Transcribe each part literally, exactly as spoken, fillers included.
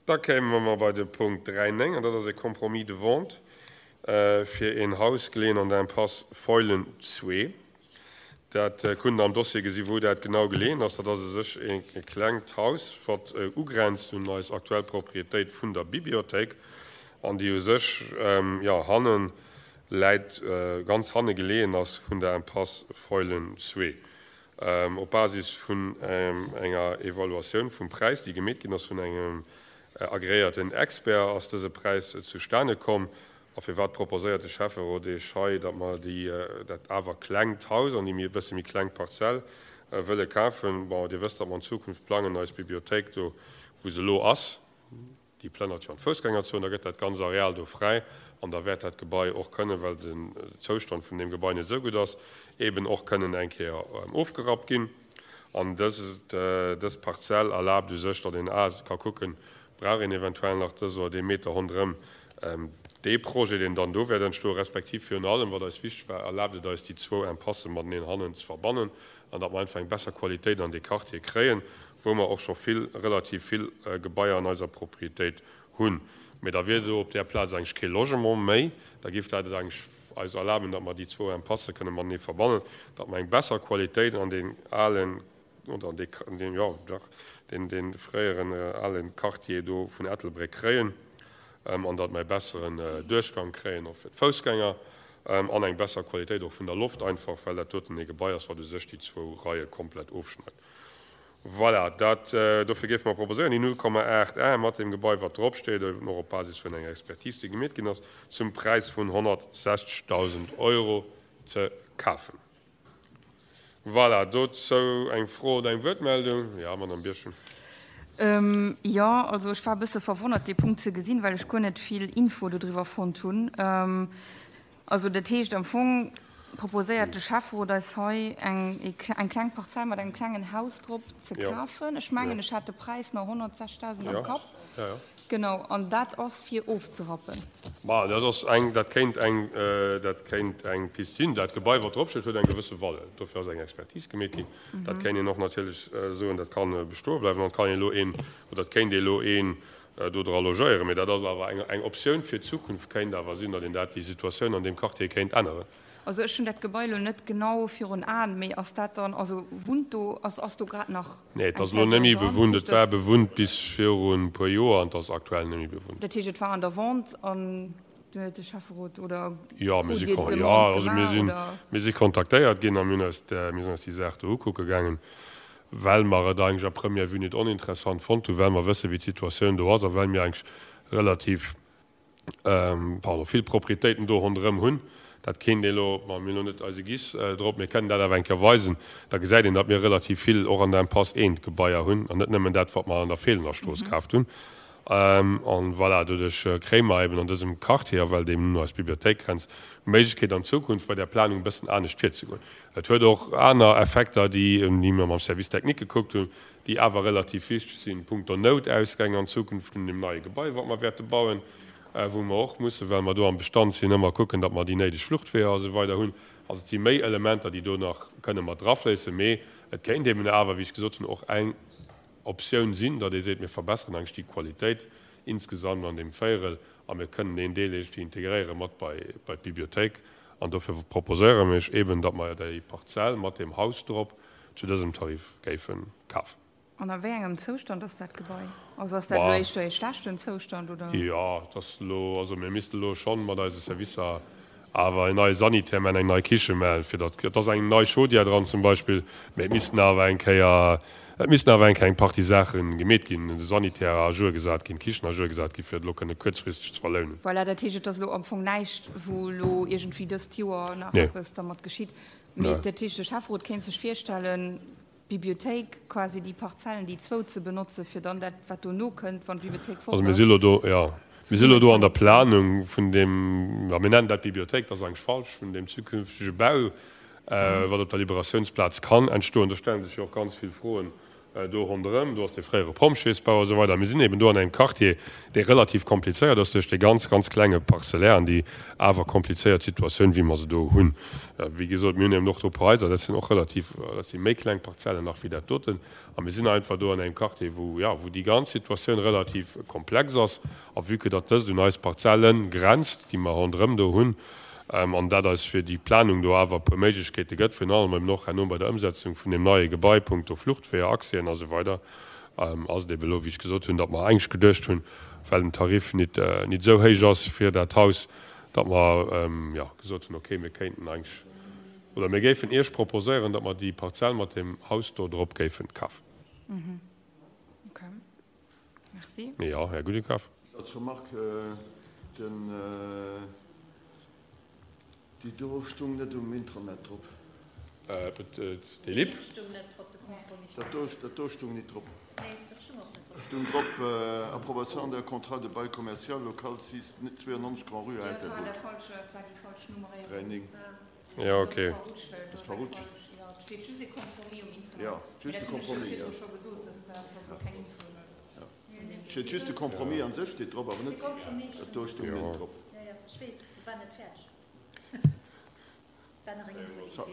Da kéime mer bei de Punkt dräi néng, an dat ass e Compromis de vente fir een Haus geleeën an der Impasse Feulen zwee. Dat kunnt Der am Dossier gesi wou dat genau geleeën ass. Dat ass u sech e klengt Haus, wat ugrenzt un eis aktuell Propriétéit vun der Bibliothéik an déi u sech, jo, hanne läit, ganz hanne geleeën ass vun der Impasse Feulen zwee. Op Basis vun enger Evaluatioun vum Präis, déi gemeet ginn ass vun engem agreéierten Expert, ass dëse Präis zustane komm. A firwat proposéiert de Schäfferot Iech hei, datt mer déi, dat awer klengt Haus an déi e bësse méi kleng Parzell wëlle kafen? Bon, Dir wësst, datt mer an Zukunft plangen, eis Bibliothéik do, wou se elo ass, déi plënnert jo an d'Foussgängerzon, da gëtt dat ganz Areal do fräi an da wäert dat Gebai och kënnen, well den Zoustand vun deem Gebai net esou gutt ass, eeben och kënnen eng Kéier ofgerappt ginn. An dëst, dës Parzell erlaabt u sech, datt een a ka kucken, brauch een eventuell nach dës oder dee Meter ronderëm dee Projet, deen dann do wäert entstoen, respektiv virun allem, wat eis wichteg war, erlaabt et eis, déi zwou Impasse mateneen hannen ze verbannen an datt mer einfach eng besser Qualitéit an dee Quartier kréien, wou mer och scho vill, relativ vill Gebaier an eiser Propriétéit hunn. Mee da wier do op där Plaz eigentlech kee Logement méi. Da géif dat et eigentlech eis erlaben, datt mer déi zwou Impasse kënne matenee verbannen, datt mer eng besser Qualitéit an deen alen, oder an dee, an deen, jo, dach, deen, dee fréieren ale Quartier do vun Ettelbréck kréien an datt mer e besseren Duerchgang kréien och fir d'Foussgänger an eng besser Qualitéit och vun der Loft einfach, well dat doten ee Gebai ass, wat u sech déi zwou Reie komplett ofschneit. Voilà, dat, dofir géife mer proposéieren, déi null Komma aacht Ar mat deem Gebai, wat drop steet, eben och op Basis vun enger Expertise, déi gemeet ginn ass, zum Präis vun honnertsechzegdausend Euro ze kafen. Voilà, dozou eng Fro oder eng Wuertmeldung? Jo, Madame Birchen. Jo, also ech war e bësse verwonnert, dee Punkt ze gesinn, well ech guer net vill Info dodriwwer fonnt hunn. Also dat heescht, am Fong proposéiert de Schäfferot eis hei, eng eng kleng Parzell mat engem klengen Haus drop ze kafen. Ech mengen, ech hat de Präis nach honnertsechzegdausend am Kapp. Genau, an dat ass fir ofzerappen. Ma dat ass eng, dat kéint eng, dat kéint eng Pist sinn. Dat Gebai, wat drop steet, huet eng gewësse Valeur. Dofir ass eng Expertise gemeet ginn. Dat kéint een och natierlech soen, dat ka bestoe bleiwen an et kann een elo een, oder et kéint ee elo een do dra logéieren. Mee dat ass awer eng, eng Optioun fir d'Zukunft kéint awer sinn, datt een dat, déi Situatioun an deem Quartier kéint änneren. Also ech hunn dat Gebai elo net genau virun Aen, mee ass dat dann, also wunnt do, ass ass do grad nach Nee, et eng ass elo net Persoun méi dran? bewunnt. Dat Et war heescht, bewunnt bis viru e puer Joer an et ass aktuell net méi bewunnt. Dat heescht, et war an der Vente an du huet de Schäfferot oder Jo, mir krut si Dir kon, d'Demande jo, also mir gemaach sinn, oder? mir si kontaktéiert ginn a mir hunn eis, mir sinn eis déi Saach do ukucke gaangen, well mer et eigentlech à première vue net oninteressant fonnt hunn, well mer wësse wéi d'Situatioun do ass a well mir eigentlech relativ, pardon, vill Propriétéiten do ronderëm hunn. Dat kéint ee elo, ma mir hunn elo net eise GIS drop, mir kënnen dat awer eng Kéier weisen, da gesäit een, datt mir relativ vill och an der Impasse eent Gebaier hunn an net nëmmen dat, wat mer an der Feelener Strooss kaaft hunn. An voilà, doduerch kréie mer eben an dësem Quartier, a well deem no eis Bibliothéik grenzt, d'Méiglechkeet an Zukunft bei där Planung e bëssen anescht virzegoen. Et huet och aner Effekter, déi mir mam Service technique gekuckt hunn, déi awer relativ wichteg sinn, punkto Noutausgäng an Zukunft vun deem neie Gebai, wat mer wäerte bauen, wou mer och mussen, well mer do am Bestand sinn, ëmmer kucken, datt mer déi néideg Fluchtweeër a sou weider hunn. Also et si méi Elementer, déi do nach kënne mat drafléissen, mee et kéint eben awer, wéi ech gesot hunn, och eng Optioun sinn, datt ee seet, mir verbesseren eigentlech déi Qualitéit insgesamt an deem Véierel a mir kënnen deen Deel iergendwéi integréiere mat bei bei d'Bibliothéik. An dofir proposéiere mir iech eben, datt mer déi Parzell mat deem Haus drop zu dësem Tarif géife kafen. An a wéi engem Zoustand ass dat Gebai? Also ass dat elo éischter ee schlechten Zoustand, oder? Jo, et ass elo, also mir misste elo schonn mat eise Servicer awer en neie Sanitär maachen, eng nei Kiche maachen, fir datt, et ass eng nei Chaudière dran zum Beispill, mee et missten awer eng Kéier, et missten awer eng Kéier eng Partie Saache gemeet ginn, de Sanitär à jour gesat ginn, d'Kichen à jour gesat ginn, fir et elo kënne kuerzfristeg ze verlounen. Voilà, dat heescht, et ass elo am Fong näischt, wou elo iergendwéi dëst Joer nach Nee. eppes dermat geschitt. Mee Nee. dat heescht, de Schäfferot kéint sech virstellen, d'Bibliothéik, quasi déi Parzellen, déi zwou ze benotzen, fir dann dat, wat dono kënnt, wann d'Bibliothéik fort Also mir ass, si lo do, jo, mir si lo zesummen do ze an der notzen. Planung vun deem, jo, mir nennen dat Bibliothéik, dat ass eigentlech falsch, vun deem zukünftege Bau, wat op der Liberatiounsplaz kann entstoen. Do stelle sech jo och ganz vill Froen, do ronderëm, do ass de fréiere Pompjeesbau a sou weider. Mir sinn eben do an engem Quartier, dee relativ komplizéiert ass duerch déi ganz, ganz klenge Parcellaire an déi awer komplizéiert Situatioun, wéi mer se do hunn. Wéi gesot, mir hunn eben och do e puer Haiser, dat sinn och relativ, dat si méi kleng Parzellen nach wéi dat doten. A mir sinn einfach do an engem Quartier, wou, jo, wou déi ganz Situatioun relativ komplex ass. A vue que datt dëst un eis Parzelle grenzt, déi mer ronderëm do hunn, an dat eis fir déi Planung do awer e puer Méiglechkeete gëtt, virun allem eben och herno bei der Ëmsetzung vun deem neie Gebai punkto Fluchtweeër, Accèsen a sou weider, ass et eben elo, wéi ech gesot hunn, datt mer eigentlech geduecht hunn, well den Tarif nit nit esou héich ass fir dat Haus, datt mer, jo, gesot hunn, okay, mir kéinten eigentlech, oder mir géifen Iech proposéieren, datt mer déi Parzell mat deem Haus do drop géifen kafen. Okay. Merci. Jo, Här Gudekaf. Als Remarque, den. Déi do stung net um Intranet drop. Déi Lip? Dat do, dat do stung nit drop. Stung drop, Approbation d'un contrat de bail commercial, local six, zweiundneunzig Grand-Rue à Ettelbruck. Dräi néng. Jo, okay. Ass verrutscht. Jo, just de Compromis, jo. Steet just de Compromis an sech steet drop, awer net, dat do stung net drop.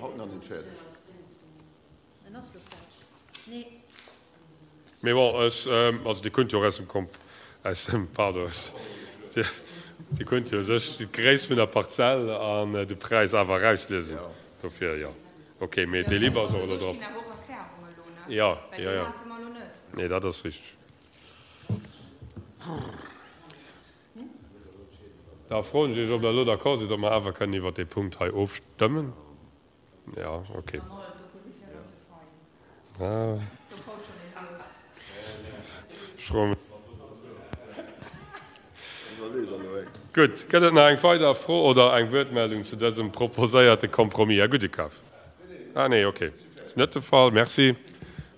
Haut nach net fäerdeg. Mee bon, ech, also Dir kënnt jo och aus dem Komp, aus dem, pardon, Dir kënnt jo u sech d'Gréisst vun der Parzell an de Präis awer erausliesen. Dofir, jo, okay, mee dee Liber ass och elo drop. Jo, jo, jo, nee, dat ass richteg. Da froen ech Iech, ob Der elo d'accord sidd, ob mer awer kënnen iwwert dee Punkt hei ofstëmmen. Jo, okay. Ech froe mech. Gutt. Gëtt et nach eng weider Fro oder eng Wuertmeldung zu dësem proposéierte Compromis? Här Gudekaf? Ah, nee, okay. Ass net de Fall. Merci.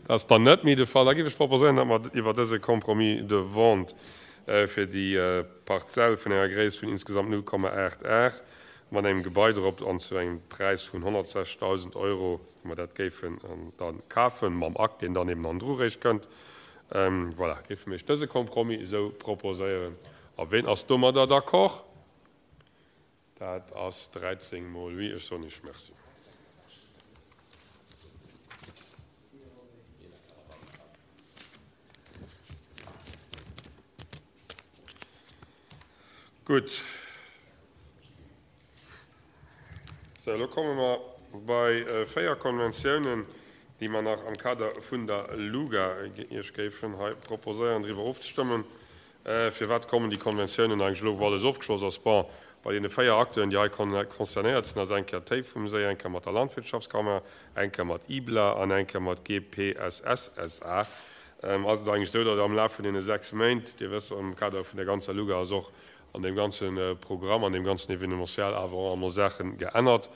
Dat ass dann net méi de Fall. Da géif ech proposéieren, datt mer iwwer dëse Compromis de vente fir déi Parzell vun enger Gréisst vun insgesamt null Komma aacht Ar mat engem Gebai drop an zu engem Präis vun honnertsechzegdausend Euro, wa mer dat géifen da kafen, mam Akt, deen dann eben hannendru réischt kënnt. Voilà, géife mir Iech dëse Compromis esou proposéieren. A ween ass domadder d'accord? Dat ass dräizéng mol oui. Ech soen Iech Merci. Gutt. Sou, elo komme mer bei véier Konventiounen, déi mer nach am Kader vun der LUGA Iech géifen hei proposéieren, driwwer ofzestëmmen. Firwat kommen déi Konventiounen eigentlech elo, wou alles ofgeschloss ass? Bon, bei deene véier Acteuren, déi hei concernéiert sinn, ass eng Kéier d'Héif vum Séi, eng Kéier mat der Landwirtschaftskammer, eng Kéier mat IBLA an eng Kéier mat G P S S S A Ass et eigentlech esou, datt am Laf vun deene sechs Méint, Dir wësst, am Kader vun der ganzer LUGA ass och an deem ganze Programm, an deem ganzen Événementiel awer och emol Saache geännert.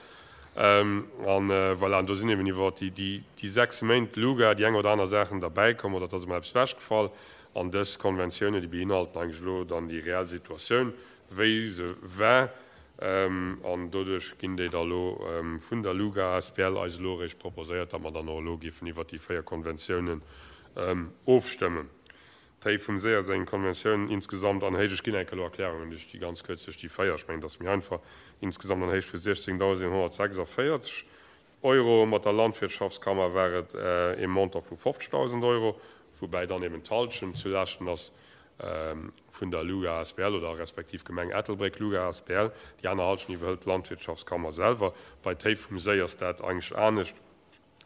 An voilà, an do sinn eben iwwer déi sechs Méint LUGA déi eng oder aner Saachen derbäikomm oder et ass emol eppes ewechgefall. An dës Konventiounen, déi beinhalten eigentlech elo dann déi reell Situatioun, wéi se war. An doduerch ginn déi da elo vun der LUGA A S B L eis elo eréischt proposéiert, datt mer dann och elo géifen iwwert déi véier Konventiounen ofstëmmen. D'Héif vum Séi ass eng Konventioun insgesamt an Héicht, ech ginn enk elo Erklärungen duerch déi ganz kuerz, duerch déi véier, ech mengen, dat ass méi einfach, insgesamt an Héicht vu siechzéngdausendeenhonnertsechsundvéierzeg Euro. Mat der Landwirtschaftskammer war et ee Montant vu fofzegdausend Euro, woubäi dann eben d'Halschent zu Laaschten ass vun der LUGA A S B L oder respektiv Gemeng Ettelbréck LUGA A S B L. Déi aner Halschent iwwerhëlt d'Landwirtschaftskammer selwer. Bei d'Héif vum Séi ass dat eigentlech anescht.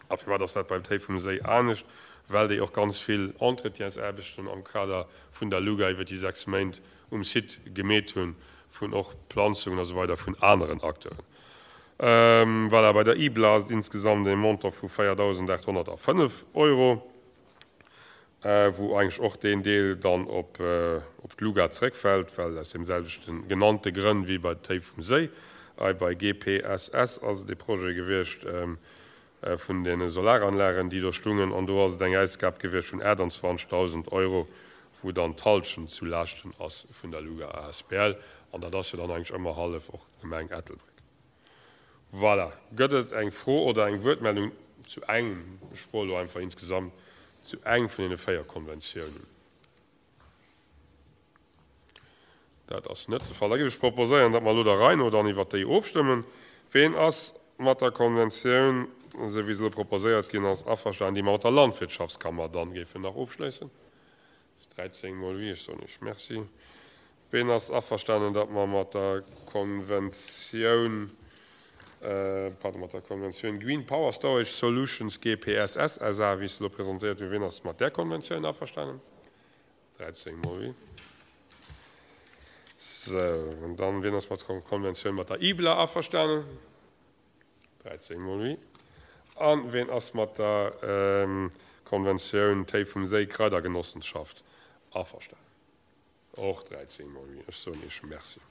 A firwat ass dat beim Téi vum Séi anescht? Well déi och ganz vill Entretiensaarbechten am Kader vun der LUGA iwwer déi sechs Méint um Site gemeet hunn, vun och Planzungen a sou weider vun aneren Acteuren. Voilà, bei der IBLA ass et insgesamt e Montant vu véierdausendaathonnertfënnef Euro, wou eigentlech och deen Deel dann op d'LUGA zeréckfält, well aus deem selwechte genannte Grënn wéi bei Téi vum Séi. Hei bei G P S S ass et e Projet gewiescht vun deene Solaranlagen, déi do stungen, an do ass et eng Ausgab gewiescht vun aachtundzwanzegdausend Euro, wou dann d'Halschent zu Laaschten ass vun der LUGA A S B L, an dat ass jo dann eigentlech ëmmer hallef och d'Gemeng Ettelbréck. Voilà. Gëtt et eng Fro oder eng Wuertmeldung zu engem, ech froe elo einfach insgesamt, zu eng vun deene véier Konventiounen? Dat ass net de Fall. Da géif ech proposéieren, datt mer elo der Rei no dann iwwert déi ofstëmmen. Ween ass mat der Konventioun, esou wéi se elo proposéiert ginn ass, averstanen, déi mer mat der Landwirtschaftskammer dann géifen nach ofschléissen? Dat ass dräizéng mol oui. Ech soen Iech Merci. Ween ass averstanen, datt mer mat der Konventioun, pardon, mat der Konventioun Green Power Storage Solutions, G P S S S A, wéi se elo presentéiert ginn, ween ass mat där Konventioun averstanen? dräizéng mol oui. Sou, an dann, wien ass mat der Konventioun mat der I B L A averstanen? dräizéng mol oui. An wien ass mat der Konventioun Téi vum Séi Kraidergenossenschaft averstanen? Och dräizéng mol oui. Ech soen Iech Merci.